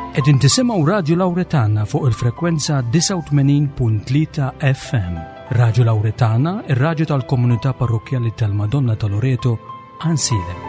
Qegħdin tisimgħu Radju Lawretana fuq il-frekwenza 89.3 FM. Radju Lawretana, ir-radju tal-komunità parrokkjali tal-Madonna ta' Loreto, Għansielem.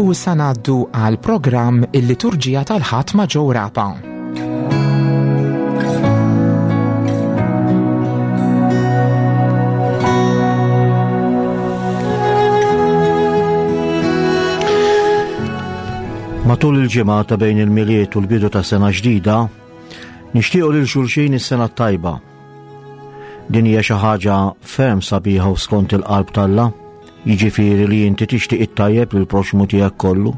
U issa ngħaddu għal programm il-liturġija tal-Ħadd ma' Joe Rapa. Matul il-ġimgħa ta' bejn il-Milied u l-bidu ta' sena ġdida, nixtiequ lil xulxin is-sena t-tajba. Din hija xi ħaġa ferm sabiħa u skont il-qalb t'Alla, jiġifieri li inti tixtieq it-tajjeb lil proxmu tiegħek kollu.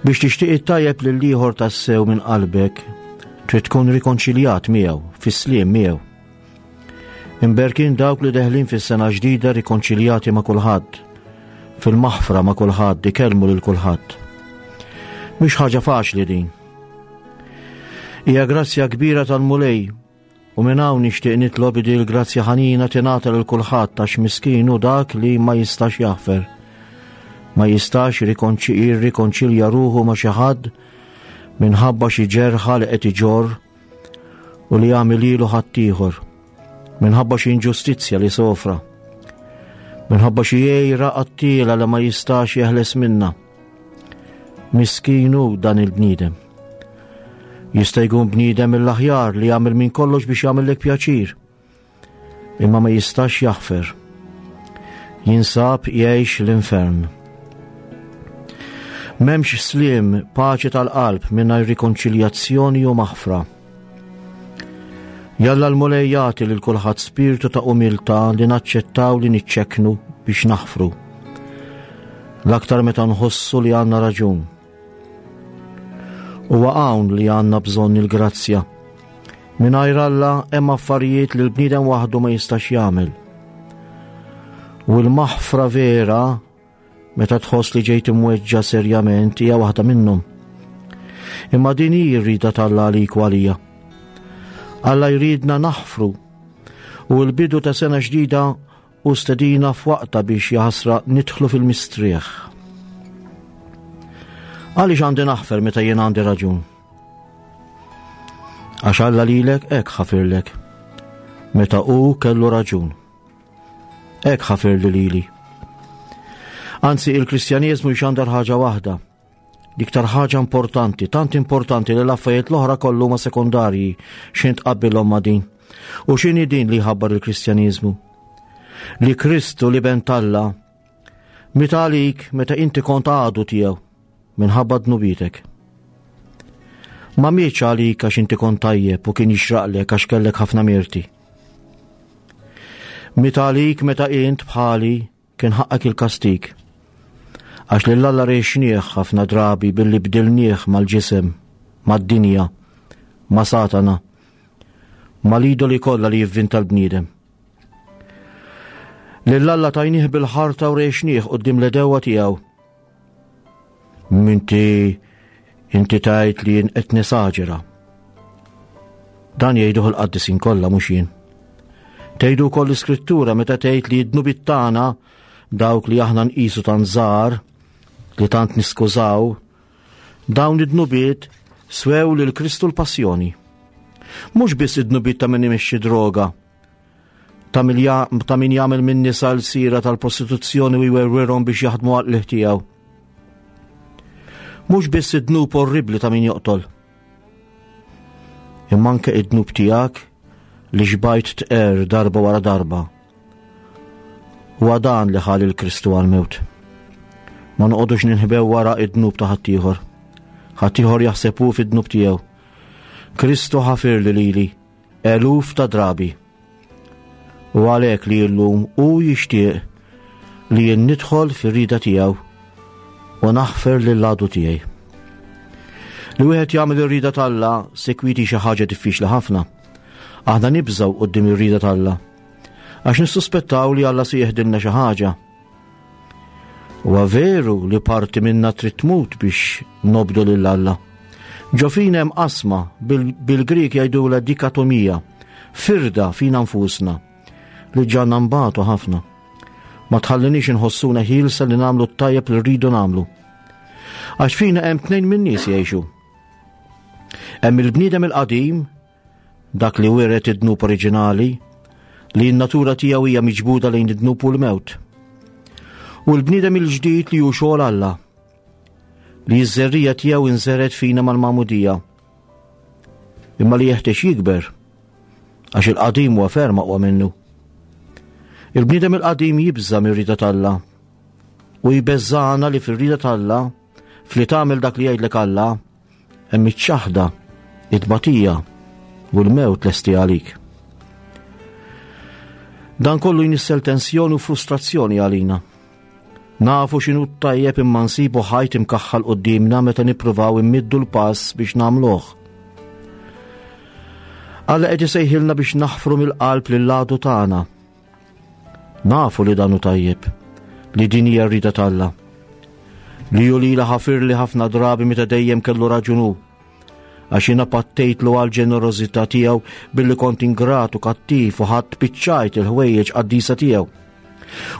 Biex tixtieq it-tajjeb lil ieħor tassew minn qalbek, trid tkun rikonċiljat miegħu, fis-sliem miegħu. Imberkin dawk li deħlin fis-sena ġdida rikonċiljati ma' kulħadd, fil-maħfra ma' kulħadd, ikellmu lil kulħadd. Mhix ħaġa faċli din. Hija grazzja kbira tal-Mulej u minn hawn nixtieq nitlob li l-grazzja ħanina tingħata lil kulħadd għax miskin hu dak li ma jistax jaħfer. Ma jistax jirrikonċilja ruħu ma' xi ħadd minħabba xi ġerħa li qed iġorr u li għamel lilu ħaddieħor minħabba xi inġustizzja li sofra, minħabba xi għejra qattiela li ma jistax jeħles minna. Miskinu dan il-bniedem. Jista' jkun bniedem mill-aħjar li jagħmel minn kollox biex jagħmellek pjaċir. Imma ma jistax jaħfer. Jinsab jgħix l-infern. M'hemmx sliem paċi tal-qalb mingħajr rikonċiljazzjoni u maħfra. Jalla l-Mulej jagħti lil kulħadd spirtu ta' umiltà li naċċettaw li niċċekknu biex naħfru. L-aktar meta nħossu li għandna raġun. Huwa hawn li għandna bżonn il-grazzja. Mingħajr Alla hemm affarijiet li l-bniedem waħdu ma jistax jagħmel. U l-maħfra vera meta tħoss li ġejt imweġġa serjament hija waħda minnhom. Imma din hi r-rida t'Alla għalik u għalija. Alla jridna naħfru u l-bidu ta' sena ġdida u stedina f'waqta biex jaħasra nidħlu fil-mistrieħ. Għaliex għandi naħfer meta jien għandi raġun? Għax Alla lilek hekk ħafirlek meta hu kellu raġun. Hekk ħafirli lili. Anzi, il-Kristjaneżmu jxandar ħaġa waħda. L-iktar ħaġa importanti, tant importanti li l-affarijiet l-oħra kollu ma sekondarji x'int tqabbilhom ma' din. U x'inhi din li jħabbar il-Kristjaniżmu? Li Kristu li ben t'Alla miet għalik meta inti kont għadu tiegħu minħabba dnubietek. Ma mietx għalik għax inti kont tajjeb u kien jixraqlek għax kellek ħafna mirti. Miet għalik meta int bħali Kien ħaqqek il-kastig. Għax lil Alla rejxnieh ħafna drabi billi bdilnieh mal-ġisem, mad-dinja, ma' Satana, mal-idoli kollha li jivvinta l-bniedem. Lil Alla tajnieh bil-ħarta u rejxnieh quddiem l-edewwa tiegħu. Minti inti tajt li jien qed nesaġera. Dan jgħiduh il-qaddisin kollha mhux jien. Tgħidu wkoll l-iskrittura meta tgħid li d-dnubiet tagħna dawk li aħna nqisu tant żgħar li tant niskużaw, dawn id-dnubiet swew lil Kristu l-passjoni. Mhux biss id-dnubiet ta' min imexxi droga, ta' min jagħmel minn nisa l-sira tal-prostituzzjoni u jwerwirhom biex jaħdmu għal tiegħu. Mhux biss id-dnub orribli ta' min joqtol. Imma anke id-dnub tiegħek li xbajt tqer darba wara darba. Huwa dan li ħal il-Kristu għal-mewt. Ma noqogħdux ninħbew wara id-dnub ta' ħaddieħor. Ħaddieħor jaħseb hu fid-dnub tiegħu. Kristu ħafirli lili eluf ta' drabi. U għalhekk li llum hu jixtieq li jien nidħol fir-rida tiegħu u naħfer lil għadu tiegħi. Li wieħed jagħmel ir-rida t'Alla sekwiti xi ħaġa diffiċli ħafna. Aħna nibżgħu quddiem ir-rida t'Alla għax nissuspettaw li Alla se jeħdilna xi ħaġa. Huwa veru li parti minna trid tmut biex nobdu lil Alla. Ġo fina hemm qasma bil-Grieg jgħidulha dikatomija, firda fina nfusna li ġanna nbatu ħafna. Ma tħallinix inħossuna ħielsa li nagħmlu t-tajjeb li rridu nagħmlu. Għax fina hemm tnejn min-nies jgħixu. Hemm il-bniedem il-qadim Dak li wiret id-dnub oriġinali, li n-natura tiegħu hija miġbuda lejn id-dnub u l-mewt. U l-bniedem il-ġdid li hu xogħol Alla, li ż-żerrija tiegħu inżeret fina mal-magħmudija. Imma li jeħtieġ jikber, għax il-qadim huwa ferm aqwa minnu. Il-bniedem il-qadim jibża' mir-rida t'Alla u jbeżżana li fir-rida t'Alla fli tagħmel dak li jgħidlek Alla Hemm iċ-ċaħda, it-tbatija u l-mewt lesti għalik. Dan kollu jnissel tensjoni u frustrazzjoni għalina. Nafu x'inhu tajjeb imma nsibu ħajt imkaħħal qudiemna meta nippruvaw immiddu l-pass biex nagħmluh. Alla qed isejħilna biex naħfru mill-qalb lil għadu tagħna. Nafu li dan hu tajjeb, li din hija r-rida t'Alla. Li hu lila ħafirli ħafna drabi meta dejjem kellu raġun hu. Għax jiena pattejtlu għal ġenerożità tiegħu billi kont ingrat u kattiv u ħadd biċċajt il-ħwejjeġ qaddisa tiegħu.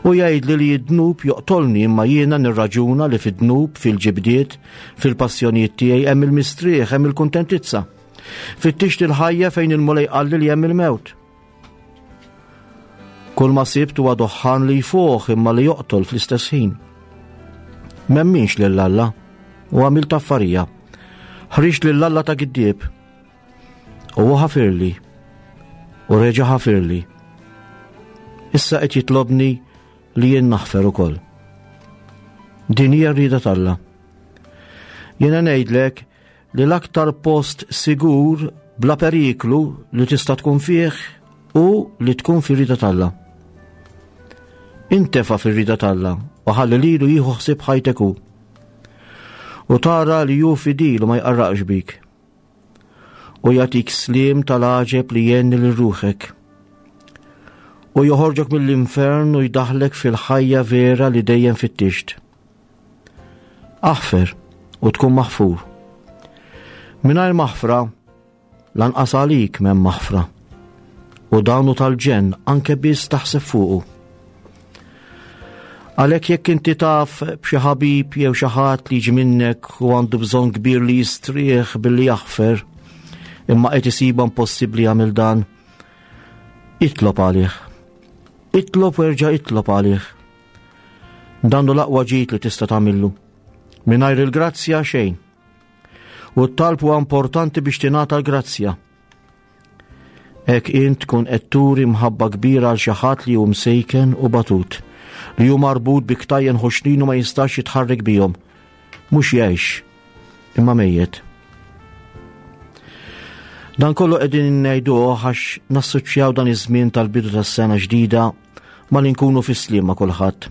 U jgħidli li d-dnub joqtolni imma jiena nirraġuna li fid-dnub, fil-ġibdiet, fil-passjonijiet tiegħi hemm il-mistrieħ, hemm il-kuntentizza. Fittixt il-ħajja fejn il-Mulej qalli li hemm il-mewt. Kull ma sibt huwa doħħan li jfuħ imma li joqtol fl-istess ħin. Memminx lil Alla u għamilt affarija. Ħriġt lil Alla ta' giddieb u hu ħafirli u reġa' ħafirli. Issa qed jitlobni li jien naħfer ukoll. Din hija r-rieda t'Alla. Jiena ngħidlek li l-aktar post sigur bla periklu li tista' tkun fih hu li tkun fir-rida t'Alla. Intefa' fir-rida t'Alla u ħalli lilu jieħu ħsieb ħajtek hu. U tara li hu fidil u ma jqarraqx bik. U jagħtik sliem tal-għaġeb li jgħenni lil ruħek. U joħorġok mill-infern u jdaħlek fil-ħajja vera li dejjem fittixt. Aħfer u tkun maħfur. Mingħajr maħfra, lanqas għalik m'hemm maħfra. U dan hu tal-ġenn anke biss taħseb fuqu. Għalhekk jekk inti taf b'xi ħabib jew xi ħadd li jiġi minnek u għandu bżonn kbir li jistrieħ billi jaħfer, imma qed isibha impossibbli jagħmel dan, itlob għalih. Itlob u erġa' itlob għalih. Dan hu l-aqwa ġid li tista' tagħmillu. Mingħajr il-grazzja xejn. U t-talb huwa importanti biex tingħata l-grazzja. Hekk int tkun qed turi mħabba kbira għal xi ħadd li hu msejken u batut, li hu marbut bi ktajjen ħoxnin u ma jistax jitħarrek bihom. Mhux jgħix, imma mejjet. Dan kollu qegħdin ngħiduh għax nassoċjaw dan iż-żmien tal-bidu tas-sena ġdida ma li nkunu fis-sliem ma' kulħadd.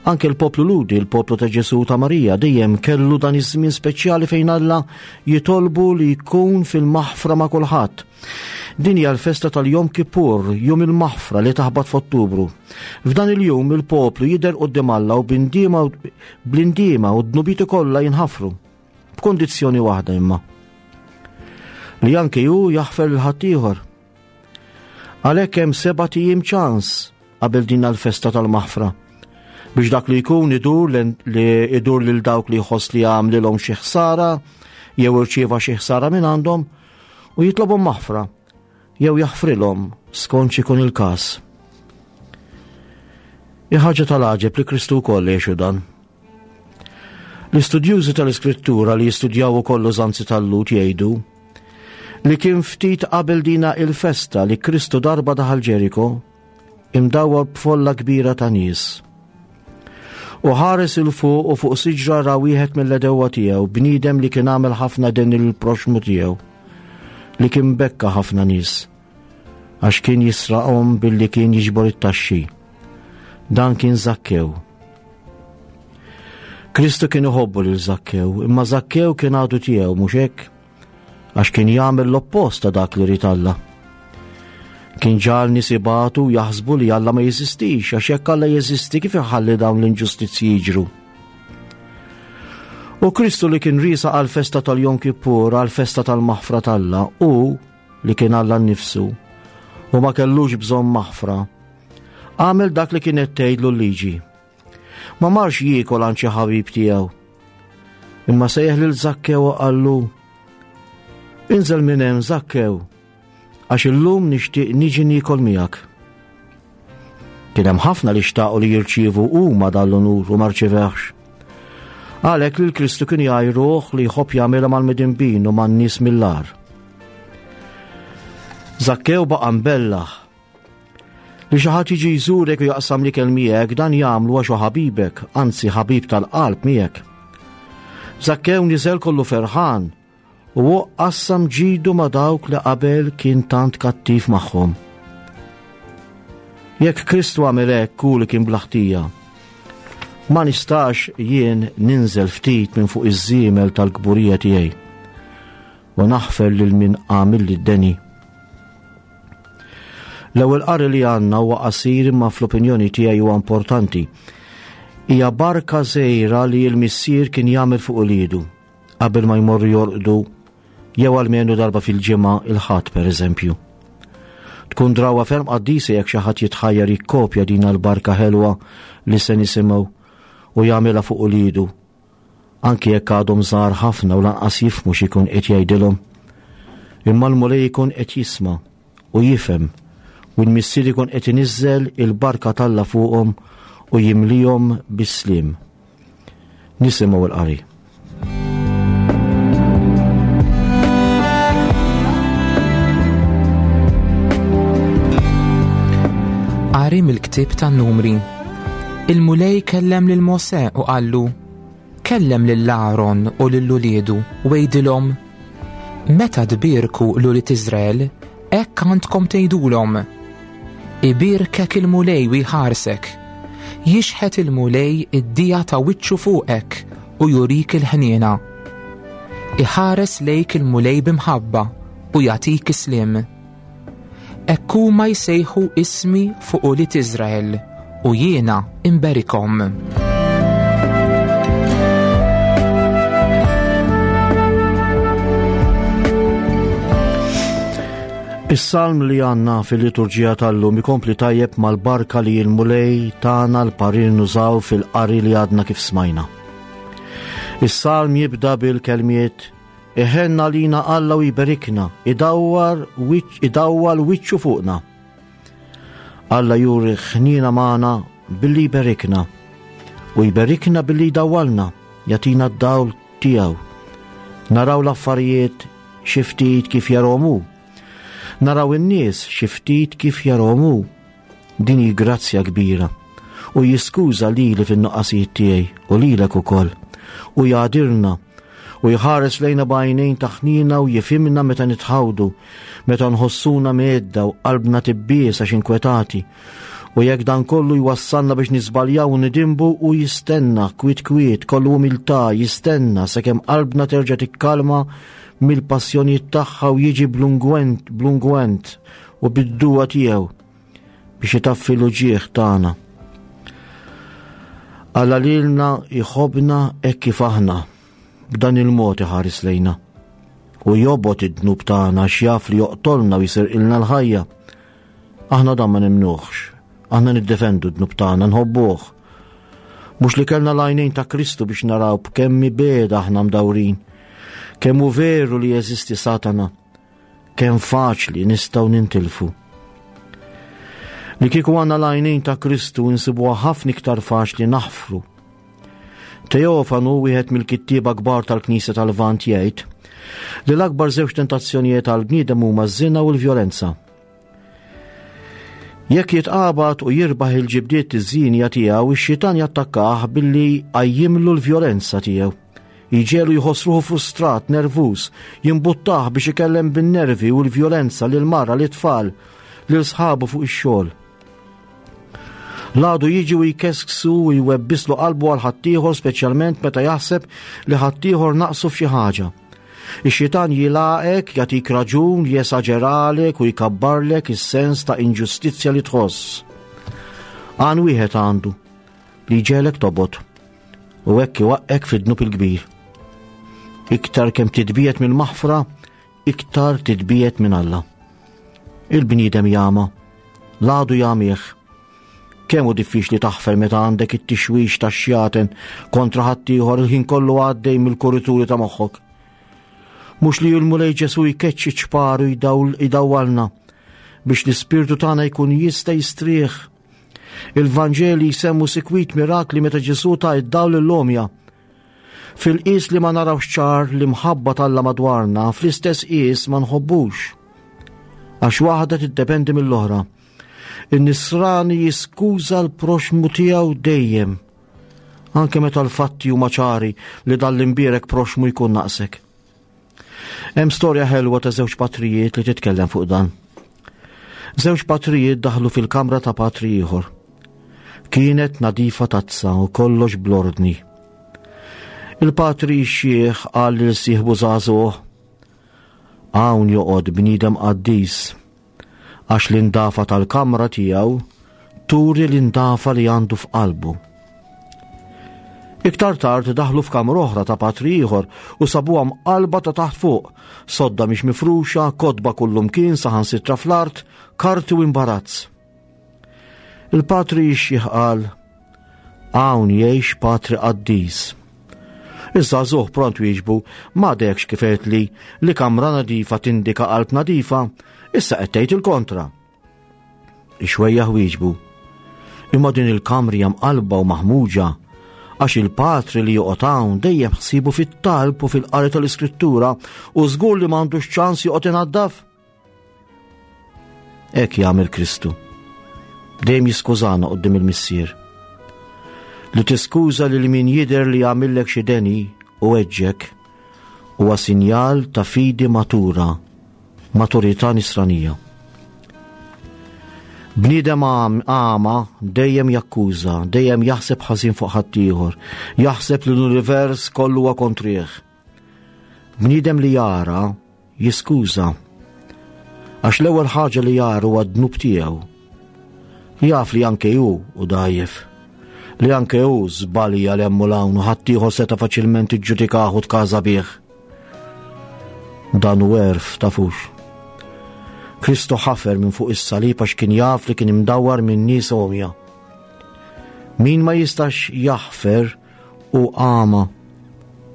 Anke l-poplu Ludi, il-poplu ta' Ġesu ta' Marija, dejjem kellu dan iż-żmien speċjali fejn Alla jitolbu li jkun fil-maħfra ma' kulħadd. Din hija l-festa tal-Jom Kippur, jum il-maħfra li taħbat f'Ottubru. F'dan il-jum il-poplu jidher quddiem Alla u b'indiema bl-indiema u d-dnubieti kollha jinħafru. B'kondizzjoni waħda imma. Li anke hu jaħfer lil ħaddieħor. Għalhekk hemm sebat ijiem ċans qabel din l-festa tal-maħfra biex dak li jkun idur li idur lil dawk li jħoss li għamlilhom xi ħsara, jew irċieva xi ħsara minn għandhom u jitlobhom maħfra jew jaħfrilhom skont x'ikun il-każ. Hi ħaġa tal-għaġeb li Kristu wkoll għexu dan. L-istudjużi tal-Iskrittura li jistudjaw ukoll użanzi tal-Lhud jgħidu li kien ftit qabel dina il-festa li Kristu darba daħal Ġeriko imdawwar b'folla kbira ta' nies. U ħares il fuq u fuq siġra ra wieħed mill-edewwa tiegħu, bniedem li kien għamel ħafna den il-proxmu tiegħu, li kien bekka ħafna nies, għax kien jisraqhom billi kien jiġbor it-taxxi. Dan kien Zakkew. Kristu kien iħobbu lil Zakkew, imma Zakkew kien għadu tiegħu mhux hekk? Għax kien jagħmel l-oppost ta' dak li rid Alla. Kien ġal nies ibatu jaħsbu li Alla ma jeżistix, għax jekk Alla jeżisti kif iħalli dawn l-inġustizzji jiġru. U Kristu li kien riesa għal festa tal-Jom Kippur, għal festa tal-maħfra t'Alla, u li kien Alla nnifsu, u ma kellux bżonn maħfra, għamel dak li kienet tgħidlu l-liġi. Ma marx jiekol għand xi ħabib tiegħu. Imma sejjaħ lil Zakkew u qallu, Inżel minn hemm Zakkew, għax illum nixtieq niġi niekol miegħek. Kien hemm ħafna li xtaqu li jirċievu huma dan l-unur u ma rċivehx. Għalhekk lil Kristu kien jgħajruh li jħobb jagħmilha mal-midinbin u man-nies mill-agħar. Zakkew baqa' mbellaħ Li xi ħadd jiġi jżurek u jaqsam l-ikel miegħek dan jagħmlu għax hu ħabibek, anzi ħabib tal-qalb miegħek. Zakkew niżel kollu ferħan u hu qassam ġidu ma' dawk li qabel kien tant kattiv magħhom. Jekk Kristu għamel hekk hu li kien bla ħtija, ma nistax jien ninżel ftit minn fuq iż-żiemel tal-kburija tiegħi u naħfer lil min għamilli d-deni. L-ewwel qari li għandna huwa qasir imma fl-opinjoni tiegħi huwa importanti. Hija barka żgħira li l-missier kien jagħmel fuq uliedu qabel ma jmorru jorqdu jew almenu darba fil-ġimgħa il-Ħadd pereżempju. Tkun drawa ferm qaddisa jekk xi ħadd jitħajjar jikkopja din l-barka ħelwa li se nisimgħu u jagħmilha fuq uliedu anki jekk għadhom żgħar ħafna u lanqas jifhmu x'ikun qed jgħidilhom. Imma l-Mulej ikun qed jisma' u jifhem u l-Missier ikun qed iniżżel il-barka t'Alla fuqhom u jimlihom bis-sliem. Nisimgħu l-qari. Qari mill-ktieb tan-Numri. Il-Mulej kellem lil Mosè u qallu, Kellem lil Aron u lil uliedu u għidilhom, Meta tbierku l-ulied Iżrael, hekk għandkom tgħidulhom, Ibierkek il-Mulej u jħarsek, jixħet il-Mulej id-dija ta' wiċċu fuqek u jurik il-ħniena. Iħares lejk il-Mulej b'imħabba u jagħtik is-sliem. Hekk huma jsejħu ismi fuq ulied Iżrael u jiena imberikhom. Is-salm li għandna fil-liturġija tal-lum ikompli tajjeb mal-barka li l-Mulej tagħna l-parir nużaw fil-qari li għadna kif smajna. Is-salm jibda bil-kelmiet Iħenn għalina Alla u jberikna, idawwar idawwal wiċċu fuqna. Alla juri ħniena magħna billi jberikna u jberikna billi jdawwalna, jagħtina d-dawl tiegħu. Naraw l-affarijiet xi ftit kif jarahom hu. Naraw in-nies xi ftit kif jarahom hu. Din hi grazzja kbira. U jiskuża lili fin-nuqqasijiet tiegħi u lilek ukoll. U jagħdirna u jħares lejna b'għajnejn ta' ħniena u jifhimna meta nitħawdu, meta nħossuna mgħedda u qalbna tibbies għax inkwetati. U jekk dan kollu jwassalna biex niżbaljaw u nidinbu u jistenna kwiet kwiet kollu umiltà jistenna sakemm qalbna terġa' tikkalma mill-passjonijiet tagħha u jiġi bl-ungwent bl-ungwent u bid-duwa tiegħu biex itaffi l-uġigħ tagħna. Alla lilna jħobbna hekk kif aħna, b'dan il-mod iħares lejna. U jobgħod id-dnub tagħna għax jaf li joqtolna u jisirqilna l-ħajja. Aħna dan ma nemnuhx, aħna niddefendu d-dnub tagħna, nħobbuh. Mhux li kellna l-għajnejn ta' Kristu biex naraw b'kemm mibegħda aħna mdawrin. Kemm hu veru li jeżisti Satana, kemm faċli nistgħu nintilfu. Li kieku għandna l-għajnejn ta' Kristu insibuha ħafna iktar faċli naħfru. Teofanu, wieħed mill-kittieba kbar tal-Knisja tal-Lvant jgħid li l-akbar żewġ tentazzjonijiet għall-bniedem huma ż-żina u l-vjolenza. Jekk jitqabad u jirbaħ il-ġibdiet iż-żienja tiegħu, ix-xitan jattakkah billi jqajjimlu l-vjolenza tiegħu. Jġegħlu jħoss ruħu frustrat, nervuż, jimbuttah biex ikellem bin-nervi u l-vjolenza lil mara, lit-tfal, lil sħabu fuq ix-xogħol. L-għadu jiġi u jkesksu u jwebbislu qalbu għal ħaddieħor speċjalment meta jaħseb li ħaddieħor naqsu f'xi ħaġa. Ix-xitan jilgħaqek, jagħtik raġun, jesaġeralek u jkabbarlek is-sens ta' inġustizzja li tħoss. Għan wieħed għandu li jġegħlek tobgħod u hekk iwaqqek fid-dnub il-kbir. Iktar kemm titbiegħed mill-maħfra, iktar titbiegħed minn Alla. Il-bniedem jama, l-għadu jagħmih. Kemm hu diffiċli taħfer meta għandek it-tixwix tax-xjaten kontra ħaddieħor il-ħin kollu għaddej mill-kurituri ta' moħħok. Mhux li l-Mulej Ġesu jkeċċi ċpar u jdawwalna biex l-ispirtu tagħna jkun jista' jistrieħ. Il-Vanġeli jsemmu sikwit mirakli meta Ġesu ta' id-dawl l-omja. Fil-qis li ma narawx ċar l-imħabba t'Alla madwarna, fl-istess qis ma nħobbux. Għax waħda tiddependi mill-oħra. In-nisrani jiskuża l-proxmu tiegħu dejjem, anke meta l-fatti huma ċari li dan l-imbierek proxmu jkun naqsek. Hemm storja ħelwa ta' żewġ patrijiet li titkellem fuq dan. Żewġ patrijiet daħlu fil-kamra ta' patri ieħor. Kienet nadifa tazza u kollox blordni. Il-patri x-xieħ qal lil sieħbu żagħżugħ, Hawn joqgħod bniedem qaddis għax l-indafa tal-kamra tiegħu turi l-indafa li għandu f'qalbu. Iktar tard daħlu f'kamra oħra ta' patri ieħor u sabuha mqalba ta' taħt fuq, sodda mhix mifruxa, kotba kullumkien saħansitra fl-art, karti u imbarazz. Il-patri jixjih qal, Hawn jgħix patri qaddis. Iż-żagħżugħ pront wieġbu, M'għadekx kif għedtli li kamra nadifa tindika qalb nadifa, issa qed tgħid il-kontra. Ix-xwejjaħ wieġbu, Imma din il-kamra hija mqallba u maħmuġa għax il-patri li joqgħod hawn dejjem ħsiebu fit-talb u fil-qari tal-Iskrittura u żgur li m'għandux ċans joqgħod inaddaf. Hekk jagħmel Kristu. Dejjem jiskużana quddiem il-Missier. Li tiskuża lil min jidher li jagħmillek xi deni u weġġek huwa sinjal ta' fidi matura, maturità nisranija. Bniedem għama dejjem jakkuża, dejjem jaħseb ħażin fuq ħaddieħor, jaħseb li l-univers kollu huwa kontrih. Bniedem li jara jiskuża. Għax l-ewwel ħaġa li jara huwa d-dnub tiegħu. Jaf li anke hu u dajjef. Li anke hu żbalja l hemm u l-hawn u ħaddieħor seta' faċilment iġġudikah u tkaża bih. Dan hu għerf tafux. Kristu ħafer minn fuq is-salib għax kien jaf li kien imdawwar minn nies għomja. Min ma jistax jaħfer Hu għama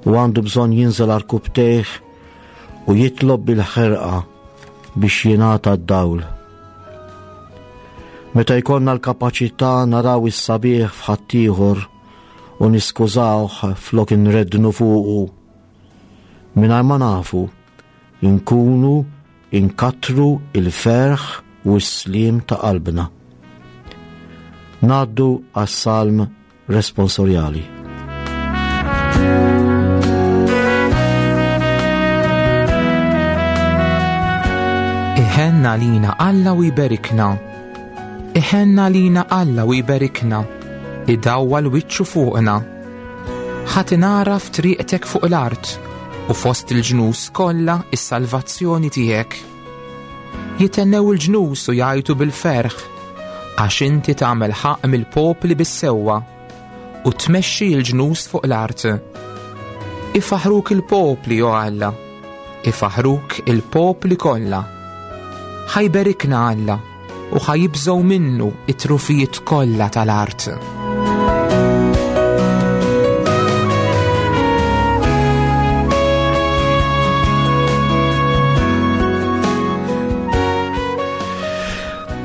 u għandu bżonn jinżel għarkupptejh u jitlob bil-ħerqa biex jingħata d-dawl. Meta jkollna l-kapaċità naraw is-sabiħ f'ħaddieħor u niskużawh flok inreddnu fuqu, mingħajr ma nafu, inkunu inkattru il-ferħ u s-sliem ta' qalbna. Ngħaddu għas-salm responsorjali. Iħenn għalina Alla u jberikna. Iħenn għalina Alla u jberikna. Idawwal wiċċu fuqna. Ħa tingħaraf triqtek fuq l-art u fost il-ġnus kollha is-salvazzjoni tiegħek. Jithennew il-ġnus u jgħajtu bil-ferħ, għax inti tagħmel ħaqq mill-popli bis-sewwa u tmexxi l-ġnus fuq l-art. Ifaħruk il-popli, o Alla, ifaħruk il-popli kollha. Ħa jberikna Alla u ħa jibżgħu minnu it-trufijiet kollha tal-art.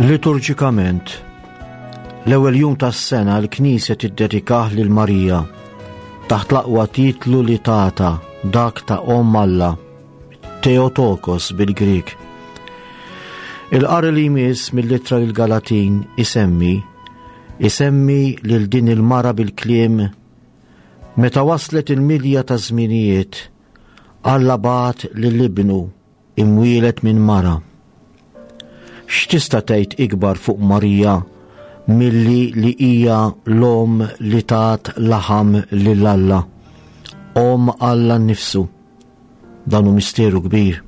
Liturġikament, l-ewwel jum tas-sena l-Knisja tiddedikah lil Marija taħt l-aqwa titlu li tata dak ta' Omm Alla, Theotokos bil-Grieg. Il-qari li jmiss mill-ittra lil Galatin isemmi isemmi lil din il-mara bil-kliem meta waslet il-milja ta' żminijiet Alla bagħat lil ibnu imwieled minn mara. X'tista' tgħid ikbar fuq Marija milli li hija l-omm li tat laħam lil Alla, omm Alla nnifsu. Dan hu misteru kbir.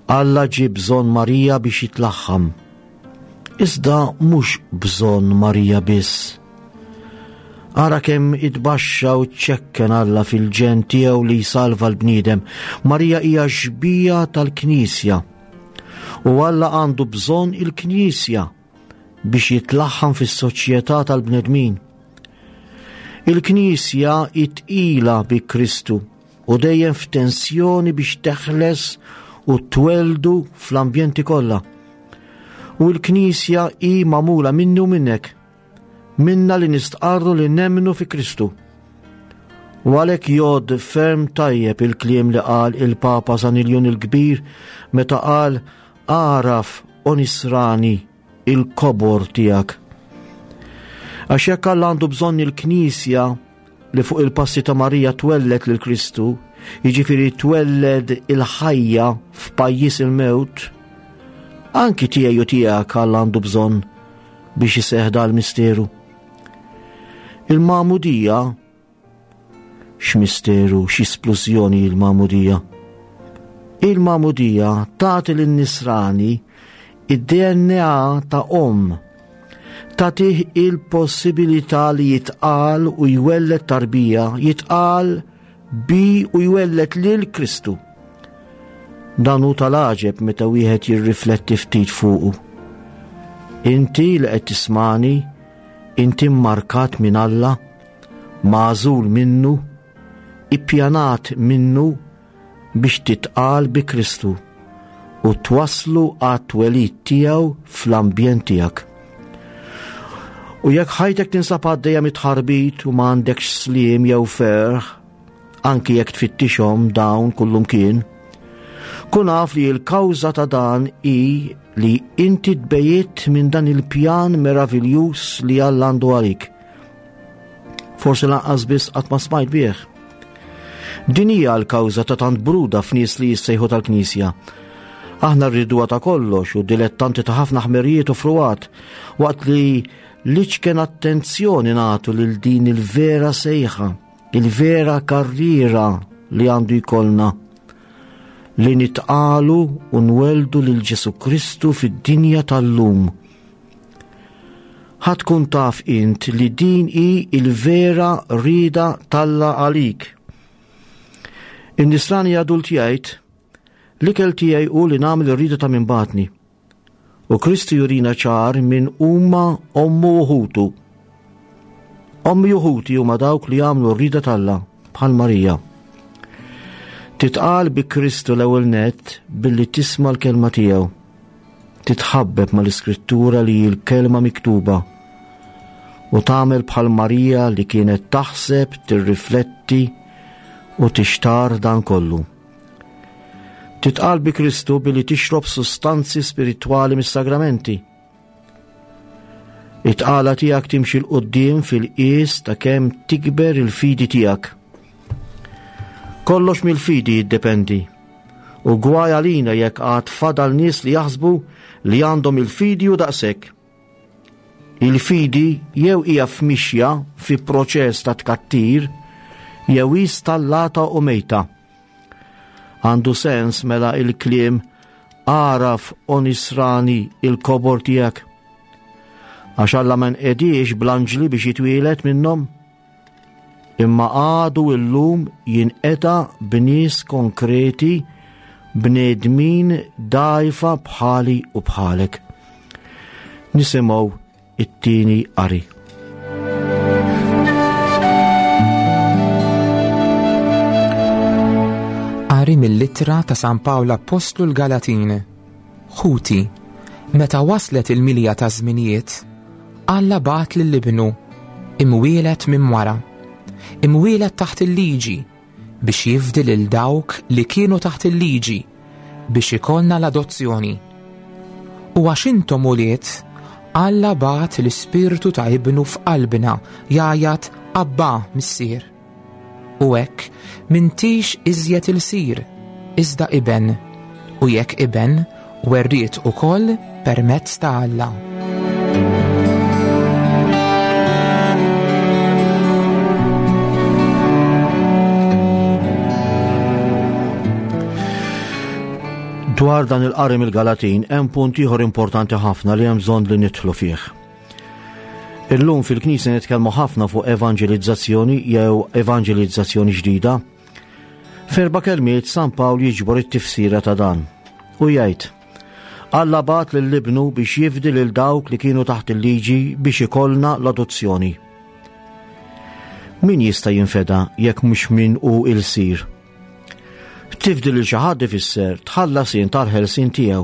Alla ġie bżonn Marija biex jitlaħħam. Iżda mhux bżonn Marija biss. Ara kemm itbaxxa u ċċekken Alla fil-ġenn tiegħu li jsalva l-bniedem. Marija hija xbija tal-Knisja. U Alla għandu bżonn il-Knisja biex jitlaħħam fis-soċjetà tal-bnedmin. Il-Knisja hi tqila bi Kristu u dejjem f'tensjoni biex teħles u tweldu fl-ambjenti kollha. U l-Knisja hi magħmula minni u minnek, minna li nistqarru li nemmnu fi Kristu. U għalhekk jgħodd ferm tajjeb il-kliem li qal il-Papa San Iljun il-Kbir meta qal agħraf o nisrani il-kobor tiegħek. Għax jekk Alla għandu bżonn il-Knisja li fuq il-passi ta' Marija twelled lil Kristu, jiġifieri twelled il-ħajja f'pajjiż il-mewt, anki tiegħi u tiegħek Alla għandu bżonn biex iseħħ dal-misteru. Il-magħmudija x'misteru, x'isplużjoni il-magħmudija. Il-magħmudija tagħti lin-nisrani id-DNA ta' omm tagħtih il-possibilità li jitqal u jwelled tarbija, jitqal bi u jwelled lil Kristu. Dan hu tal-għaġeb meta wieħed jirrifletti ftit fuqu. Inti li qed tismani, inti mmarkat minn Alla, magħżul minnu, ippjanat minnu biex titqal bi Kristu u twasslu għat-twelid tiegħu fl-ambjent tiegħek. U jekk ħajtek tinsab għaddejja mit-tħarbit u ma għandekx sliem jew ferħ, anki jekk tfittixhom dawn kullumkien, kun af li l-kawża ta' dan hi li inti tbejjiet minn dan il-pjan meraviljuż li Alla għandu għalik. Forsi lanqas biss qatt ma smajt bih. Din hija l-kawża ta' tant bruda f'nies li jissejħu tal-Knisja. Aħna rriduha ta' kollox u dilettanti ta' ħafna ħmerijiet u fruwat, waqt li l-iċken attenzjoni nagħtu lil din il-vera sejħa, il-vera karriera li għandu jkollna li nitqalu u nweldu lil Ġesu Kristu fid-dinja tal-lum. Ħa tkun taf int li din hi il-vera rieda t'Alla għalik. In-nisrani adult jgħid, l-ikel tiegħi hu li nagħmel ir-rieda ta' min bagħatni. U Kristu jurina ċar min huma ommu u ħutu. Ommi u ħuti huma dawk li jagħmlu r-rieda t'Alla bħal Marija. Titqal bi Kristu l-ewwel nett billi tisma' l-kelma tiegħu. Titħabbeb mal-Iskrittura li hi l-Kelma miktuba u tagħmel bħal Marija li kienet taħseb, tirrifletti u tixtar dan kollu. Titqal bi Kristu billi tixrob sustanzi spiritwali mis-sagramenti. It-tqala tiegħek timxi 'l quddiem fil-qies ta' kemm tikber il-fidi tiegħek. Kollox mill-fidi jiddependi. U gwaj għalina jekk għad fadal nies li jaħsbu li għandhom il-fidi u daqshekk. Il-fidi jew hija f'mixja fi proċess ta' tkattir jew hi stallata u mejta. Għandu sens mela il-kliem agħraf o nisrani il-kobor tiegħek. Għax Alla ma nqediex bl-anġli biex jitwieled minnhom, imma għadu illum jinqeda b'nies konkreti bnedmin dgħajfa bħali u bħalek. Nisimgħu it-tieni qari. Qari mill-ittra ta' San Pawl Appostlu l-Galatin. Ħuti, Meta waslet il-milja taż-żminijiet, Alla bagħat lil Ibnu, imwieled minn mara, imwieled taħt il-liġi, biex jifdi lil dawk li kienu taħt il-liġi, biex ikollna l-adozzjoni. U għax intom ulied, Alla bagħat l-Ispirtu ta' Ibnu f'qalbna jgħajjat Abba, Missier. U hekk m'intix iżjed ilsir, iżda iben, u jekk iben, werriet ukoll permezz ta' Alla. Dwar dan il-qari mill-Galatin hemm punt ieħor importanti ħafna li hemm bżonn li nidħlu fih. Illum fil-Knisja nitkellmu ħafna fuq evanġelizzazzjoni jew evanġelizzazzjoni ġdida. F'erba' kelmiet San Pawl jiġbor it-tifsira ta' dan u jgħid Alla bagħat lil ibnu biex jifdi lil dawk li kienu taħt il-liġi biex ikollna l-adozzjoni. Min jista' jinfeda jekk mhux min hu ilsir? Tifdi lil xi ħadd ifisser tħallas int għall-ħelsien tiegħu.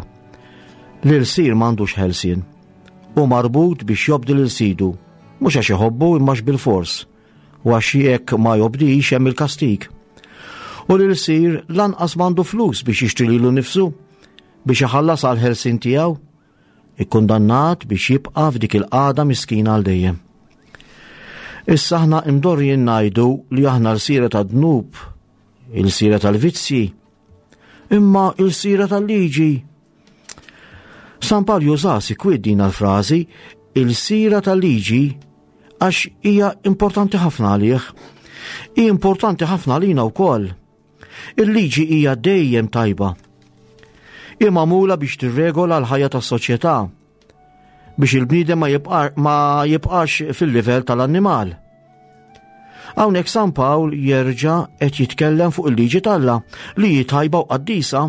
L-ilsir m'għandux ħelsien. Hu marbut biex jobdi lil sidu, mhux għax iħobbu imma għax bilfors, u għax jekk ma jobdix hemm il-kastig. U l-ilsir lanqas m'għandu flus biex jixtri lilu nnifsu, biex iħallas għall-ħelsien tiegħu, ikkundannat biex jibqa' f'dik il-qagħda miskina għal dejjem. Issa aħna imdorrijin ngħidu li aħna lsira tad-dnub, ilsira tal-vizzji, imma ilsira tal-liġi. San Pawl juża sikwit din l-frażi il-sira tal-liġi għax hija importanti ħafna għalih. Hi importanti ħafna għalina wkoll. Il-liġi hija dejjem tajba. Hi magħmula biex tirregola l-ħajja tas-soċjetà biex il-bniedem ma, jibqa, ma jibqax fil-livell tal-annimal. Hawnhekk San Pawl jerġa' qed jitkellem fuq il-liġi t'Alla li hi tajba u qaddisa.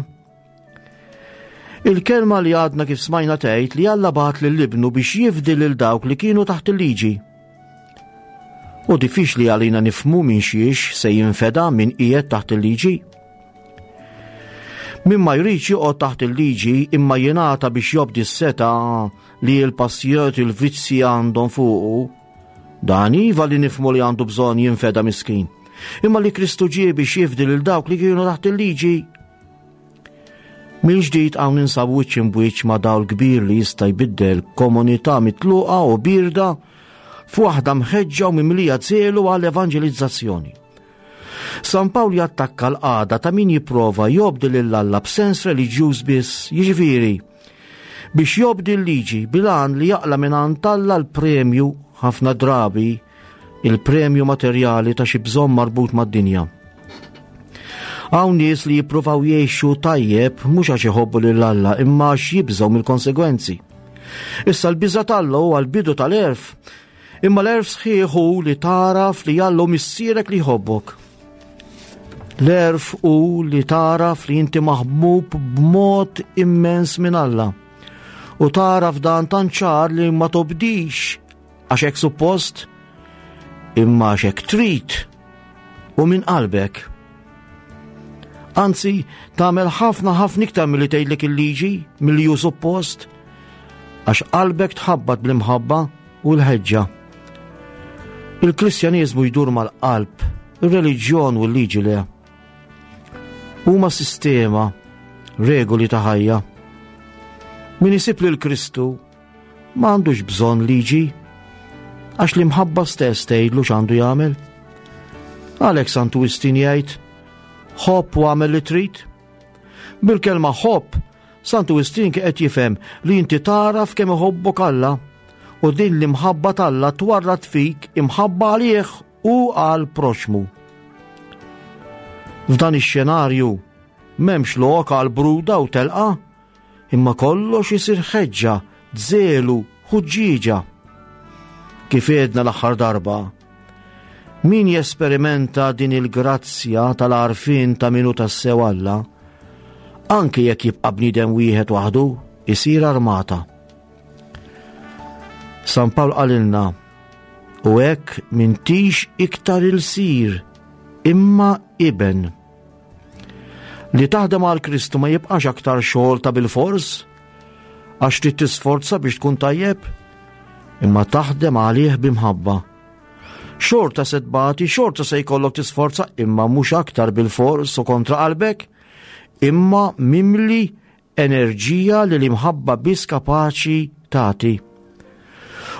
Il-kelma li għadna kif smajna tgħid li Alla bagħat lil ibnu biex jifdi lil dawk li kienu taħt il-liġi. U diffiċli għalina nifmu minn xiex se jinfeda min qiegħed taħt il-liġi. Min ma jridx joqgħod taħt il-liġi imma jingħata biex jobdi s-seta li l-passjoni il-vizzi għandhom fuqu, dan iva li nifmu li għandu bżonn jinfeda miskin. Imma li Kristu ġie biex jifdi lil dawk li kienu taħt il-liġi Mill-ġdid hawn ninsabu wiċċ imbwiċċ ma' dawl kbir li jista' jbiddel komunità mitluqa u bierda f'waħda mħeġġa u mimlija żelu għal evanġelizzazzjoni. San Pawl jattakka l-qagħda ta' min jipprova jobdi lil Alla b'sens reliġjuż biss, jiġifieri biex jobdi l-liġi bil-għan li jaqla' minn għand Alla l-premju ħafna drabi il-premju materjali ta' xi bżonn marbut mad-dinja. Hawn nies li jippruvaw jgħixu tajjeb mhux għax iħobbu lil Alla imma għax jibżgħu mill-konsegwenzi. Issa l-biża' t'Alla huwa l-bidu tal-għerf, imma l-għerf sħiħ hu li tagħraf li Alla hu missierek li jħobbok. L-għerf hu li tagħraf li inti maħbub b'mod immens minn Alla. U tagħraf dan tant ċar li ma tobdix Għax hekk suppost, imma għax hekk trid u minn qalbek. Anzi, tagħmel ħafna ħafna iktar milli tgħidlek il-liġi milli hu suppost, għax qalbek tħabbat bl-imħabba u l-ħeġġa. Il-Kristjaniżmu jdur mal-qalb, ir-reliġjon u l-liġi le. Huma sistema, regoli ta' ħajja. Min isib lil Kristu Ma għandux bżonn liġi, għax l-imħabba stess tgħidlu x'għandu jagħmel. Għalhekk Santu Wistin jgħid, ħobb u għamel li trid. Bil-kelma ħobb, Santu Wistin qed jifhem li inti tagħraf kemm iħobbok Alla u din l-imħabba t'Alla twarrad fik imħabba għalih u għal proxmu. F'dan ix-xenarju m'hemmx lok għal bruda u telqa, Imma kollox isir ħeġġa, żelu, ħuġġieġa. Kif għedna l-aħħar darba, min jesperimenta din il-grazzja tal-għarfien ta' min hu tassew Alla, anke jekk jibqa' bniedem wieħed waħdu, isir armata. San Pawl qalilna, u hekk m'intix iktar ilsir, imma iben. Li taħdem għal Kristu ma jibqax aktar xogħol ta' bilfors. Għax trid tisforza biex tkun tajjeb, imma taħdem għalih b'imħabba. Xorta se tbati, xorta se jkollok tisforza, imma mhux aktar bil-fors u kontra qalbek, imma mimli enerġija li l-imħabba biss kapaċi tagħti.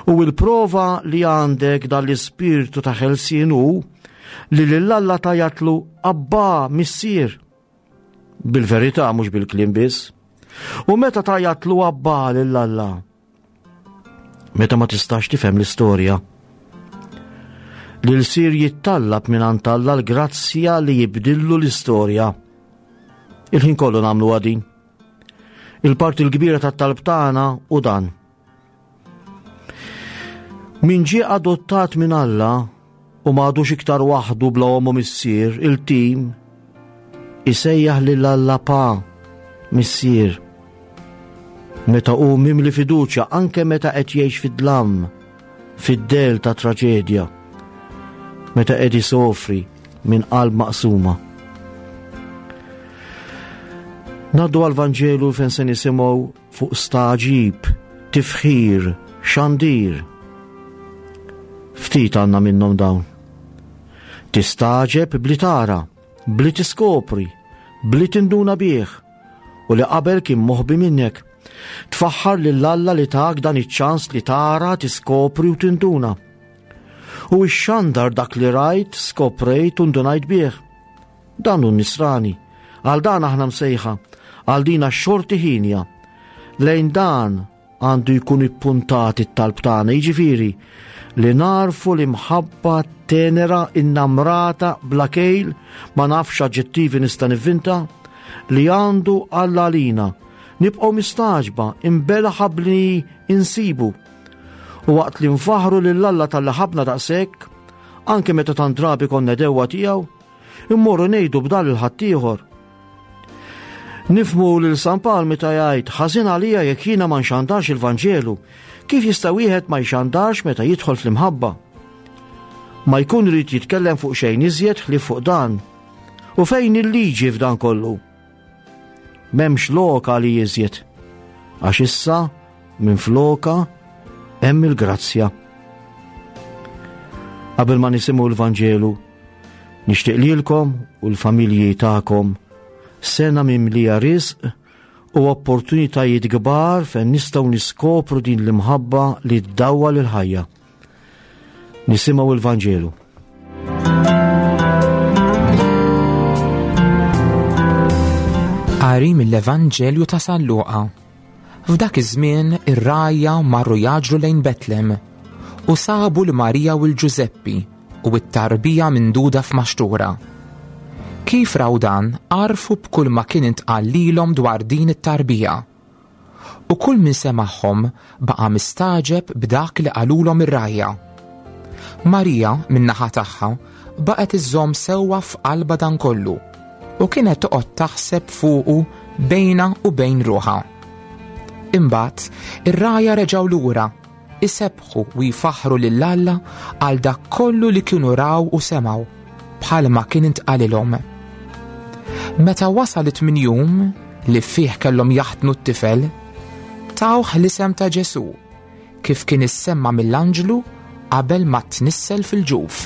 U l-prova li għandek dal-ispirtu ta' ħelsien hu li lil Alla tajatlu Abba missier. Bil-verità mhux bil-kliem biss. U meta tajatlu Abba lil Alla? Meta ma tistax tifhem l-istorja. L-ilsir jittallab minn Alla l-grazzja li jibdillu l-istorja. Il-ħin kollu nagħmlu għadin. Il-parti l-kbira tat-talb tagħna u dan. Min ġie adottat minn Alla u m'għadux iktar waħdu bla omu missier, il-tim isejjaħ lil Alla pa, missier. Meta hu mimli fiduċja anke meta qed jgħix fid-dlam, fid-del ta' traġedja, meta qed isofri minn qalb maqsuma. Naddu għal-Vanġelu fejn se nisimgħu fuq stagħġib, tifħir, xandir. Ftit għandna minnhom dawn. Tistagħġeb bli tara, bli tiskopri, bli tinduna bih, u li qabel kien moħbi minnek. Tfaħħar lil Alla li tak dan iċ-ċans li tara, tiskopri u tinduna. U ixxandar dak li rajt, skoprejt u ndunajt bih. Dan hu nisrani. Għal dan aħna msejħa, għal din xorti ħinja. Lejn dan għandu jkun ippuntat it-talb tagħna, jiġifieri li narfu l-imħabba tenera innamrata bla kejl ma nafx aġġettivi nista' nivvinta li għandu Alla għalina. Nibqgħu mistaġba, imbelaħa bli insibu. U waqt li nfaħru lil Alla tal-li ħabna daqshekk, anke meta tant drabi konna dewwa tiegħu, immorru ngħidu b'dan lil ħaddieħor. Nifmu lil San Pawl meta jgħid ħażin għalija jekk jiena ma nxandarx il-Vanġelu, kif jista' wieħed ma jxandarx meta jidħol fl-imħabba? Ma jkun irid jitkellem fuq xejn iżjed ħlief fuq dan. U fejn il-liġi f'dan kollu? M'hemmx lok għali iżjed, għax issa minn floka hemm il-grazzja. Qabel ma nisimgħu l-Vanġelu, nixtieq lilkom u l-familji tagħkom sena mimlija risq u opportunitajiet kbar fejn nistgħu niskopru din l-imħabba li ddawwal il-ħajja. Nisimgħu l-Vanġelu. Qari mill-Evanġelju ta' San Luqa. F'dak iż-żmien ir-rgħajja marru jaġru lejn Betlem u sabu l Marija u l-Ġużeppi u t-tarbija minduda f'maxtura. Kif raw dan, għarfu b'kull ma kien intqal lilhom dwar din it-tarbija. U kull min semagħhom baqa' mistagħġeb b'dak li qalulhom ir-rgħajja. Marija, min-naħa tagħha, baqgħet iżżomm sewwa f'qalbha dan kollu u kienet toqgħod taħseb fuqu bejnha u bejn ruħha. Imbagħad, ir-rgħajja reġgħu lura isebbħu u jfaħħru lil Alla għal dak kollu li kienu raw u semgħu, bħalma kien intqalilhom. Meta wasal it-tmien jum li fih kellhom jaħtnu t-tifel, tawh l-isem ta' Ġesù, kif kien issemma mill-anġlu qabel ma tnissel fil-ġuf.